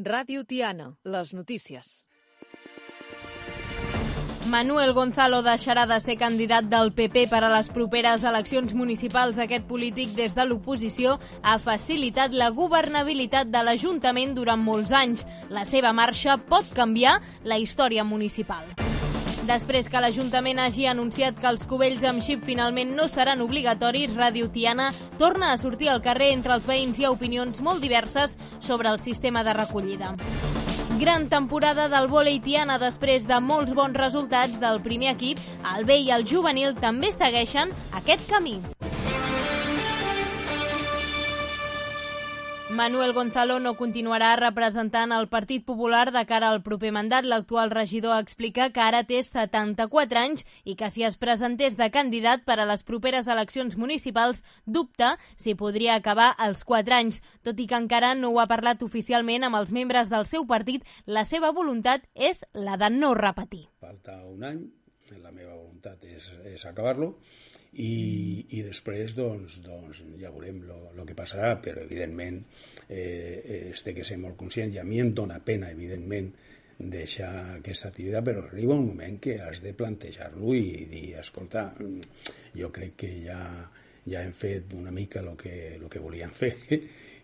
Ràdio Tiana, les notícies. Manuel Gonzalo deixarà de ser candidat del PP per a les properes eleccions municipals. Aquest polític des de l'oposició ha facilitat la governabilitat de l'Ajuntament durant molts anys. La seva marxa pot canviar la història municipal. Després que l'Ajuntament hagi anunciat que els cubells amb xip finalment no seran obligatoris, Ràdio Tiana torna a sortir al carrer. Entre els veïns hi ha opinions molt diverses sobre el sistema de recollida. Gran temporada del vòlei Tiana. Després de molts bons resultats del primer equip, el B i el juvenil també segueixen aquest camí. Manuel Gonzalo no continuarà representant el Partit Popular de cara al proper mandat. L'actual regidor explica que ara té 74 anys i que si es presentés de candidat per a les properes eleccions municipals dubta si podria acabar als 4 anys. Tot i que encara no ho ha parlat oficialment amb els membres del seu partit, la seva voluntat és la de no repetir. Falta un any, la meva voluntat és acabar-lo. I després doncs ja veurem el que passarà, però evidentment té que ser molt conscient, i a mi em dóna pena evidentment deixar aquesta activitat, però arriba un moment que has de plantejar-lo i dir, escolta, jo crec que ja hem fet una mica el que volíem fer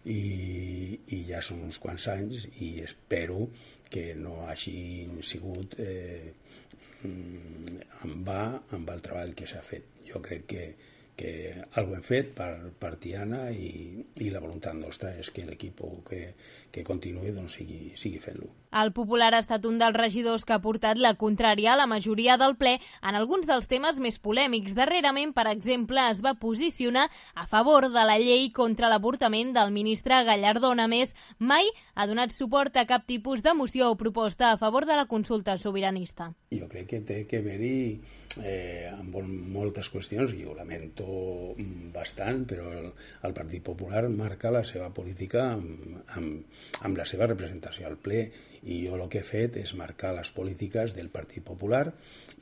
i ja són uns quants anys i espero que no hagin sigut en va el treball que s'ha fet. Jo crec que alguna hem fet per Tiana i la voluntat nostra és que l'equip que continuï sigui fent-lo. El Popular ha estat un dels regidors que ha portat la contrària a la majoria del ple en alguns dels temes més polèmics. Darrerament, per exemple, es va posicionar a favor de la llei contra l'avortament del ministre Gallardón. A més, mai ha donat suport a cap tipus de moció o proposta a favor de la consulta sobiranista. Jo crec que té que haver-hi amb moltes qüestions, i ho lamento bastant, però el Partit Popular marca la seva política amb la seva representació al ple, i jo el que he fet és marcar les polítiques del Partit Popular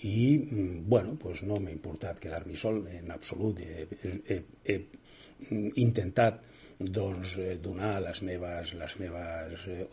i no m'ha importat quedar-m'hi sol en absolut. He intentat donar les meves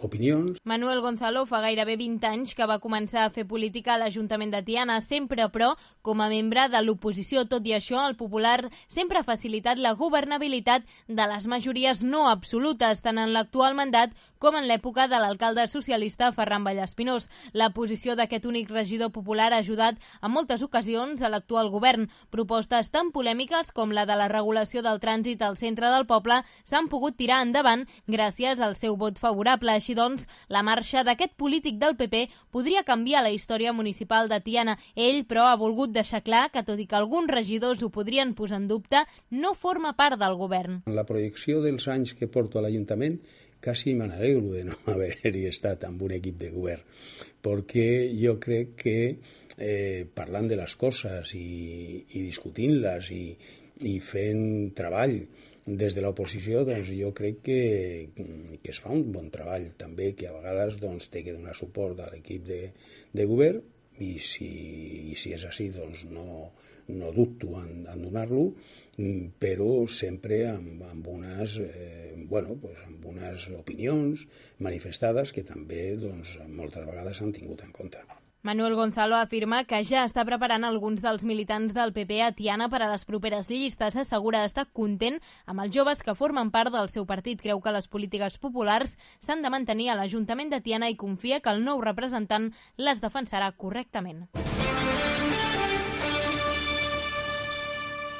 opinions. Manuel Gonzalo fa gairebé 20 anys que va començar a fer política a l'Ajuntament de Tiana, sempre però com a membre de l'oposició. Tot i això, el Popular sempre ha facilitat la governabilitat de les majories no absolutes, tant en l'actual mandat com en l'època de l'alcalde socialista Ferran Vallespinós. La posició d'aquest únic regidor popular ha ajudat en moltes ocasions a l'actual govern. Propostes tan polèmiques com la de la regulació del trànsit al centre del poble s'han pogut tirar endavant gràcies al seu vot favorable. Així doncs, la marxa d'aquest polític del PP podria canviar la història municipal de Tiana. Ell, però, ha volgut deixar clar que, tot i que alguns regidors ho podrien posar en dubte, no forma part del govern. En la projecció dels anys que porto a l'Ajuntament, quasi me n'alegro de no haver-hi estat amb un equip de govern, perquè jo crec que parlant de les coses i discutint-les i fent treball des de l'oposició, doncs jo crec que es fa un bon treball també, que a vegades té que donar suport a l'equip de govern, i si és així doncs no dubto en donar-lo, però sempre amb unes opinions manifestades que també moltes vegades s'han tingut en compte. Manuel Gonzalo afirma que ja està preparant alguns dels militants del PP a Tiana per a les properes llistes. Assegura estar content amb els joves que formen part del seu partit. Creu que les polítiques populars s'han de mantenir a l'Ajuntament de Tiana i confia que el nou representant les defensarà correctament.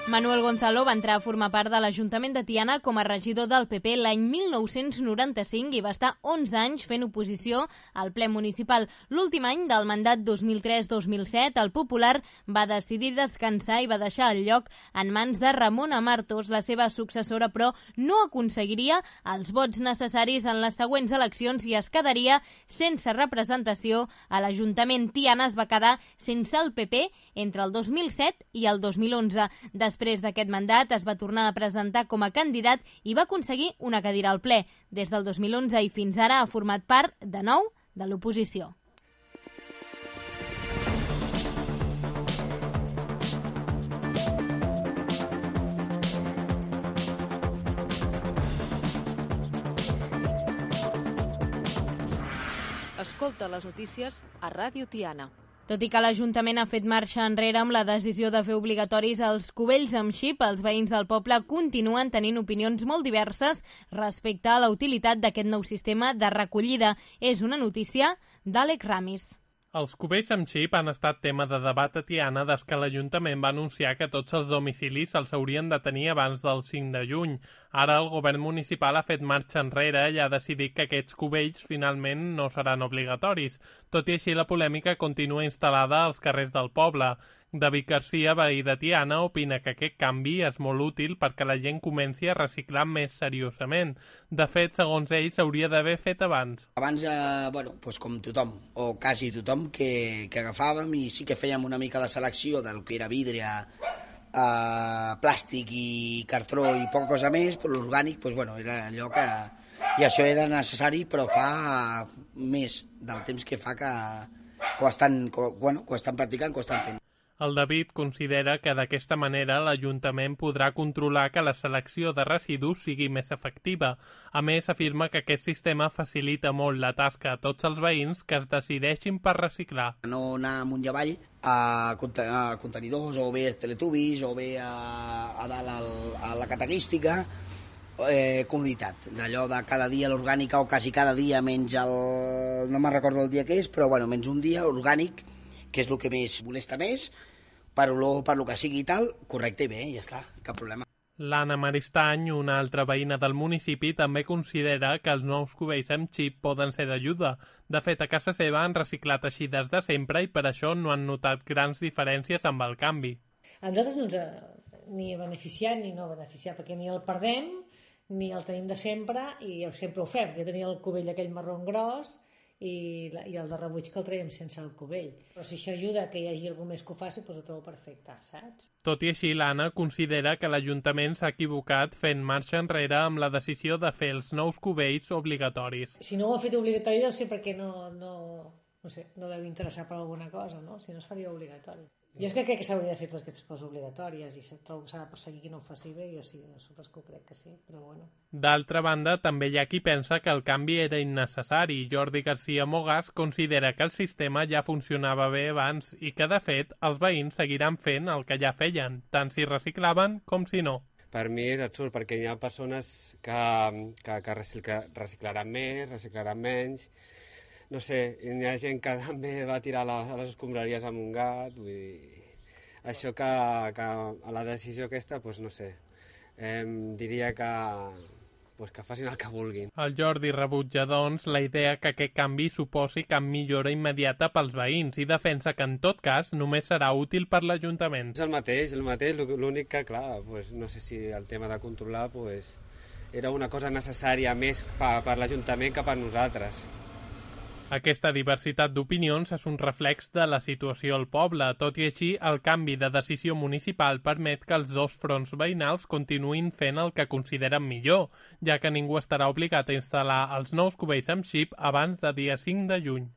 Manuel Gonzalo va entrar a formar part de l'Ajuntament de Tiana com a regidor del PP l'any 1995 i va estar 11 anys fent oposició al ple municipal. L'últim any del mandat 2003-2007, el Popular va decidir descansar i va deixar el lloc en mans de Ramona Martos. La seva successora, però, no aconseguiria els vots necessaris en les següents eleccions i es quedaria sense representació a l'Ajuntament. Tiana es va quedar sense el PP entre el 2007 i el 2011. Després d'aquest mandat es va tornar a presentar com a candidat i va aconseguir una cadira al ple. Des del 2011 i fins ara ha format part, de nou, de l'oposició. Escolta les notícies a Ràdio Tiana. Tot i que l'Ajuntament ha fet marxa enrere amb la decisió de fer obligatoris els cubells amb xip, els veïns del poble continuen tenint opinions molt diverses respecte a la utilitat d'aquest nou sistema de recollida. És una notícia d'Àlex Ramis. Els cubells amb xip han estat tema de debat a Tiana des que l'Ajuntament va anunciar que tots els domicilis se'ls haurien de tenir abans del 5 de juny. Ara el govern municipal ha fet marxa enrere i ha decidit que aquests cubells finalment no seran obligatoris. Tot i així, la polèmica continua instal·lada als carrers del poble. David Garcia, veí de Tiana, opina que aquest canvi és molt útil perquè la gent comenci a reciclar més seriosament. De fet, segons ell, s'hauria d'haver fet abans. Abans, com tothom, o quasi tothom, que agafàvem i sí que fèiem una mica de selecció del que era vidre, plàstic i cartró i poca cosa més, però l'orgànic era allò que... I això era necessari, però fa més del temps que fa que ho estan practicant, que ho estan fent. El David considera que d'aquesta manera l'Ajuntament podrà controlar que la selecció de residus sigui més efectiva. A més, afirma que aquest sistema facilita molt la tasca a tots els veïns que es decideixin per reciclar. No anar amunt i avall a contenidors, o bé als teletubis, o bé a dalt a la catalística, comoditat, d'allò de cada dia l'orgànica, o quasi cada dia menys no me'n recordo el dia que és, però menys un dia orgànic, que és el que més molesta més, per olor, per lo que sigui i tal, correcte i bé, ja està, cap problema. L'Anna Maristany, una altra veïna del municipi, també considera que els nous cubells amb xip poden ser d'ajuda. De fet, a casa seva han reciclat així des de sempre i per això no han notat grans diferències amb el canvi. A nosaltres no ens ha ni beneficiat ni no beneficiat, perquè ni el perdem ni el tenim de sempre i sempre ho fem. Jo tenia el cubell aquell marró gros i el de rebuig que el traiem sense el cubell. Però si això ajuda que hi hagi algú més que ho faci, doncs ho trobo perfecte, saps? Tot i així, l'Anna considera que l'Ajuntament s'ha equivocat fent marxa enrere amb la decisió de fer els nous cubells obligatoris. Si no ho ha fet obligatori deu ser perquè no deu interessar per alguna cosa, no? Si no es faria obligatori. Jo és que crec que s'hauria de fer totes aquestes coses obligatòries i trobo que s'ha de perseguir qui no ho faci bé, jo sí, nosaltres que ho crec que sí, però bueno. D'altra banda, també hi ha qui pensa que el canvi era innecessari. Jordi Garcia Mogàs considera que el sistema ja funcionava bé abans i que, de fet, els veïns seguiran fent el que ja feien, tant si reciclaven com si no. Per mi és absurd, perquè hi ha persones que reciclaran més, reciclaran menys. No sé, hi ha gent que també va tirar a les escombraries amb un gat, vull dir, això que a la decisió aquesta, doncs no sé, diria que facin el que vulguin. El Jordi rebutja, doncs, la idea que aquest canvi suposi cap millora immediata pels veïns i defensa que, en tot cas, només serà útil per l'Ajuntament. És el mateix, l'únic que, clar, no sé si el tema de controlar era una cosa necessària més per l'Ajuntament que per nosaltres. Aquesta diversitat d'opinions és un reflex de la situació al poble. Tot i així, el canvi de decisió municipal permet que els dos fronts veïnals continuïn fent el que consideren millor, ja que ningú estarà obligat a instal·lar els nous cubells amb xip abans de dia 5 de juny.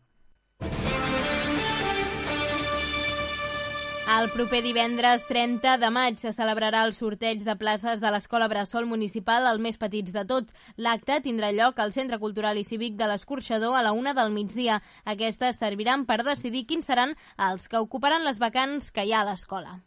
El proper divendres 30 de maig se celebrarà el sorteig de places de l'Escola Bressol Municipal, el més petits de tots. L'acte tindrà lloc al Centre Cultural i Cívic de l'Escorxador a la 1 del migdia. Aquestes serviran per decidir quins seran els que ocuparan les vacants que hi ha a l'escola.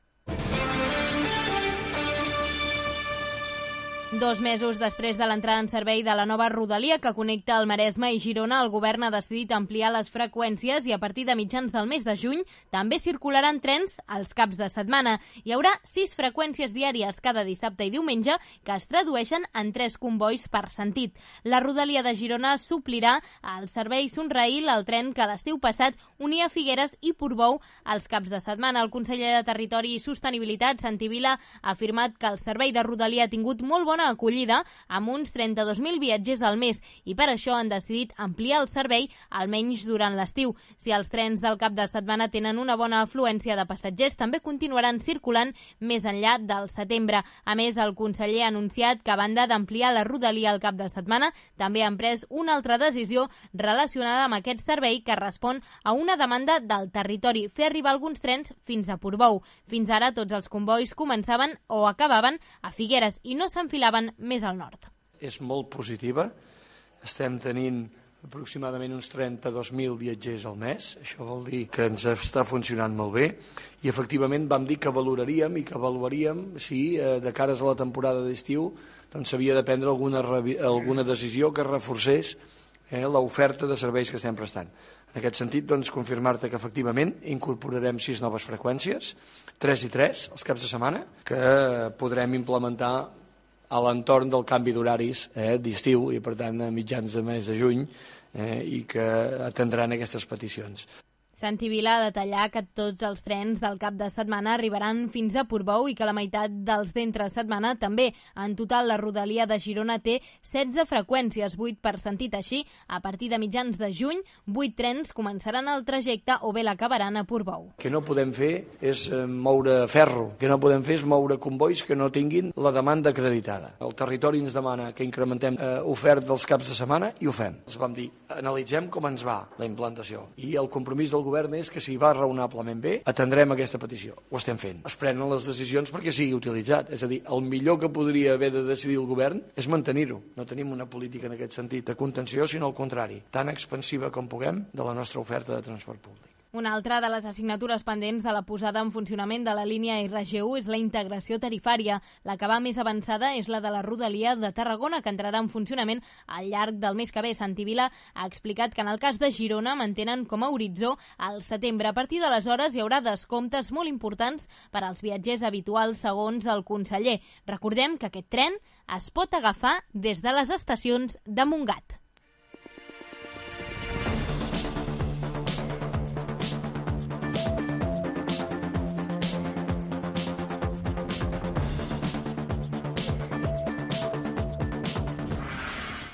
2 mesos després de l'entrada en servei de la nova rodalia que connecta el Maresme i Girona, el govern ha decidit ampliar les freqüències i a partir de mitjans del mes de juny també circularan trens als caps de setmana. Hi haurà 6 freqüències diàries cada dissabte i diumenge que es tradueixen en 3 combois per sentit. La rodalia de Girona suplirà el servei Sonraïl, el tren que l'estiu passat unia Figueres i Portbou als caps de setmana. El conseller de Territori i Sostenibilitat, Santi Vila, ha afirmat que el servei de rodalia ha tingut molt bona acollida amb uns 32.000 viatgers al mes i per això han decidit ampliar el servei almenys durant l'estiu. Si els trens del cap de setmana tenen una bona afluència de passatgers, també continuaran circulant més enllà del setembre. A més, el conseller ha anunciat que a banda d'ampliar la rodalia al cap de setmana, també han pres una altra decisió relacionada amb aquest servei que respon a una demanda del territori, fer arribar alguns trens fins a Portbou. Fins ara tots els combois començaven o acabaven a Figueres i no s'enfilaven més al nord. És molt positiva, estem tenint aproximadament uns 32.000 viatgers al mes. Això vol dir que ens està funcionant molt bé i efectivament vam dir que valoraríem i que avaluaríem si de cares a la temporada d'estiu doncs s'havia de prendre alguna decisió que reforcés l'oferta de serveis que estem prestant. En aquest sentit, doncs, confirmar-te que efectivament incorporarem 6 noves freqüències, 3 i 3 els caps de setmana, que podrem implementar a l'entorn del canvi d'horaris d'estiu i, per tant, a mitjans de mes de juny i que atendran aquestes peticions. Santi Vila ha detallat que tots els trens del cap de setmana arribaran fins a Portbou i que la meitat dels d'entre setmana també. En total, la rodalia de Girona té 16 freqüències, 8 per sentit. Així, a partir de mitjans de juny, 8 trens començaran el trajecte o bé l'acabaran a Portbou. El que no podem fer és moure ferro, el que no podem fer és moure convois que no tinguin la demanda acreditada. El territori ens demana que incrementem oferta dels caps de setmana i ho fem. Els vam dir, analitzem com ens va la implantació i el compromís del govern és que si va raonablement bé, atendrem aquesta petició. Ho estem fent. Es prenen les decisions perquè sigui utilitzat. És a dir, el millor que podria haver de decidir el govern és mantenir-ho. No tenim una política en aquest sentit de contenció, sinó al contrari, tan expansiva com puguem de la nostra oferta de transport públic. Una altra de les assignatures pendents de la posada en funcionament de la línia RG1 és la integració tarifària. La que va més avançada és la de la rodalia de Tarragona, que entrarà en funcionament al llarg del mes que ve. Santi Vila ha explicat que en el cas de Girona mantenen com a horitzó al setembre. A partir d'aleshores hi haurà descomptes molt importants per als viatgers habituals, segons el conseller. Recordem que aquest tren es pot agafar des de les estacions de Montgat.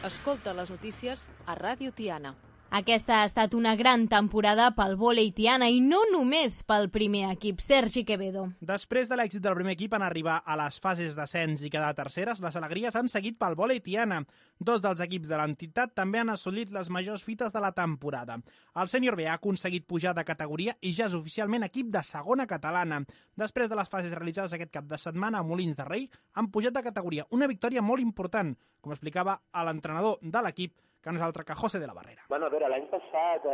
Escolta les notícies a Ràdio Tiana. Aquesta ha estat una gran temporada pel vòlei Tiana i no només pel primer equip. Sergi Quevedo. Després de l'èxit del primer equip en arribar a les fases d'ascens i quedar terceres, les alegries han seguit pel vòlei Tiana. 2 dels equips de l'entitat també han assolit les majors fites de la temporada. El sènior B ha aconseguit pujar de categoria i ja és oficialment equip de segona catalana. Després de les fases realitzades aquest cap de setmana a Molins de Rei, han pujat de categoria. Una victòria molt important, com explicava l'entrenador de l'equip, que no és altre que José de la Barrera. Bueno, a veure, l'any passat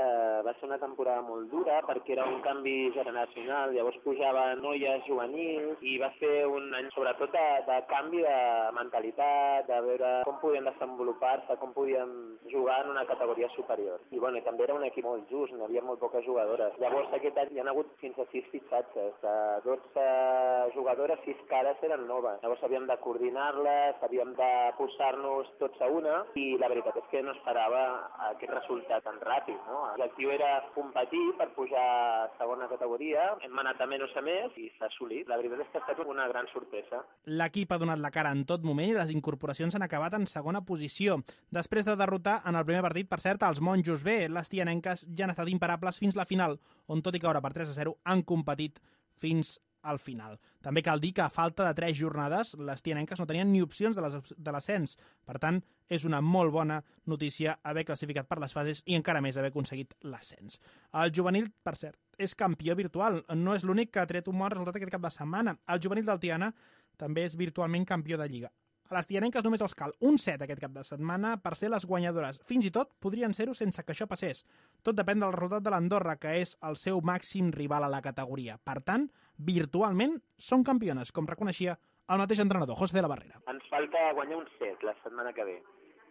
va ser una temporada molt dura perquè era un canvi generacional, llavors pujava noies juvenils i va ser un any sobretot de canvi de mentalitat, de veure com podien desenvolupar-se, com podien jugar en una categoria superior. I bueno, també era un equip molt just, n'hi havia molt poques jugadores. Llavors aquest any hi ha hagut fins a 6 fitxatges, de 12 jugadores, 6 cares eren noves. Llavors havíem de coordinar-les, havíem de posar-nos tots a una i la veritat és que no esperava aquest resultat tan ràpid, no? L'objectiu era competir per pujar a segona categoria, hem anat a menys a més i s'ha assolit. La veritat és que ha estat una gran sorpresa. L'equip ha donat la cara en tot moment i les incorporacions han acabat en segona posició. Després de derrotar en el primer partit, per cert, els monjos B, les tianenques ja han estat imparables fins la final, on tot i caure per 3-0 han competit fins al final. També cal dir que a falta de 3 jornades les tianenques no tenien ni opcions de l'ascens. Per tant, és una molt bona notícia haver classificat per les fases i encara més haver aconseguit l'ascens. El juvenil, per cert, és campió virtual. No és l'únic que ha tret un bon resultat aquest cap de setmana. El juvenil del Tiana també és virtualment campió de Lliga. A les tianenques només els cal un set aquest cap de setmana per ser les guanyadores. Fins i tot podrien ser-ho sense que això passés. Tot depèn del resultat de l'Andorra, que és el seu màxim rival a la categoria. Per tant, virtualment són campiones, com reconeixia el mateix entrenador, José de la Barrera. Ens falta guanyar un set la setmana que ve.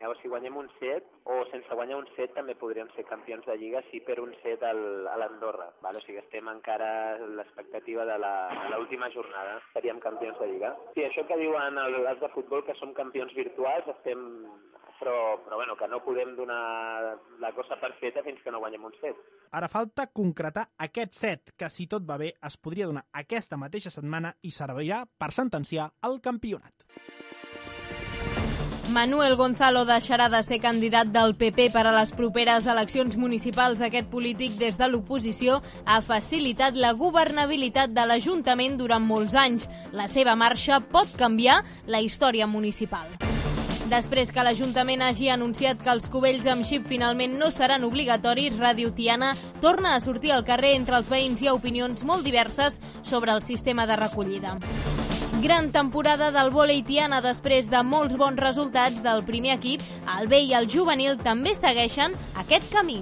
Llavors, si guanyem un set, o sense guanyar un set, també podríem ser campions de Lliga si per un set a l'Andorra. O sigui, estem encara a l'expectativa de l'última jornada. Seríem campions de Lliga. Sí, això que diuen els de futbol, que som campions virtuals, estem... Però bueno, que no podem donar la cosa per feta fins que no guanyem un set. Ara falta concretar aquest set, que si tot va bé es podria donar aquesta mateixa setmana i servirà per sentenciar el campionat. Manuel Gonzalo deixarà de ser candidat del PP per a les properes eleccions municipals. Aquest polític, des de l'oposició, ha facilitat la governabilitat de l'Ajuntament durant molts anys. La seva marxa pot canviar la història municipal. Després que l'Ajuntament hagi anunciat que els cubells amb xip finalment no seran obligatoris, Ràdio Tiana torna a sortir al carrer entre els veïns i a opinions molt diverses sobre el sistema de recollida. Gran temporada del vòlei Tiana després de molts bons resultats del primer equip. El B i el juvenil també segueixen aquest camí.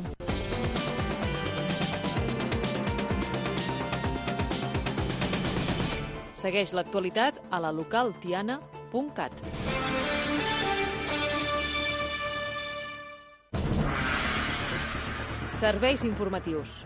Segueix l'actualitat a la localtiana.cat. Serveis informatius.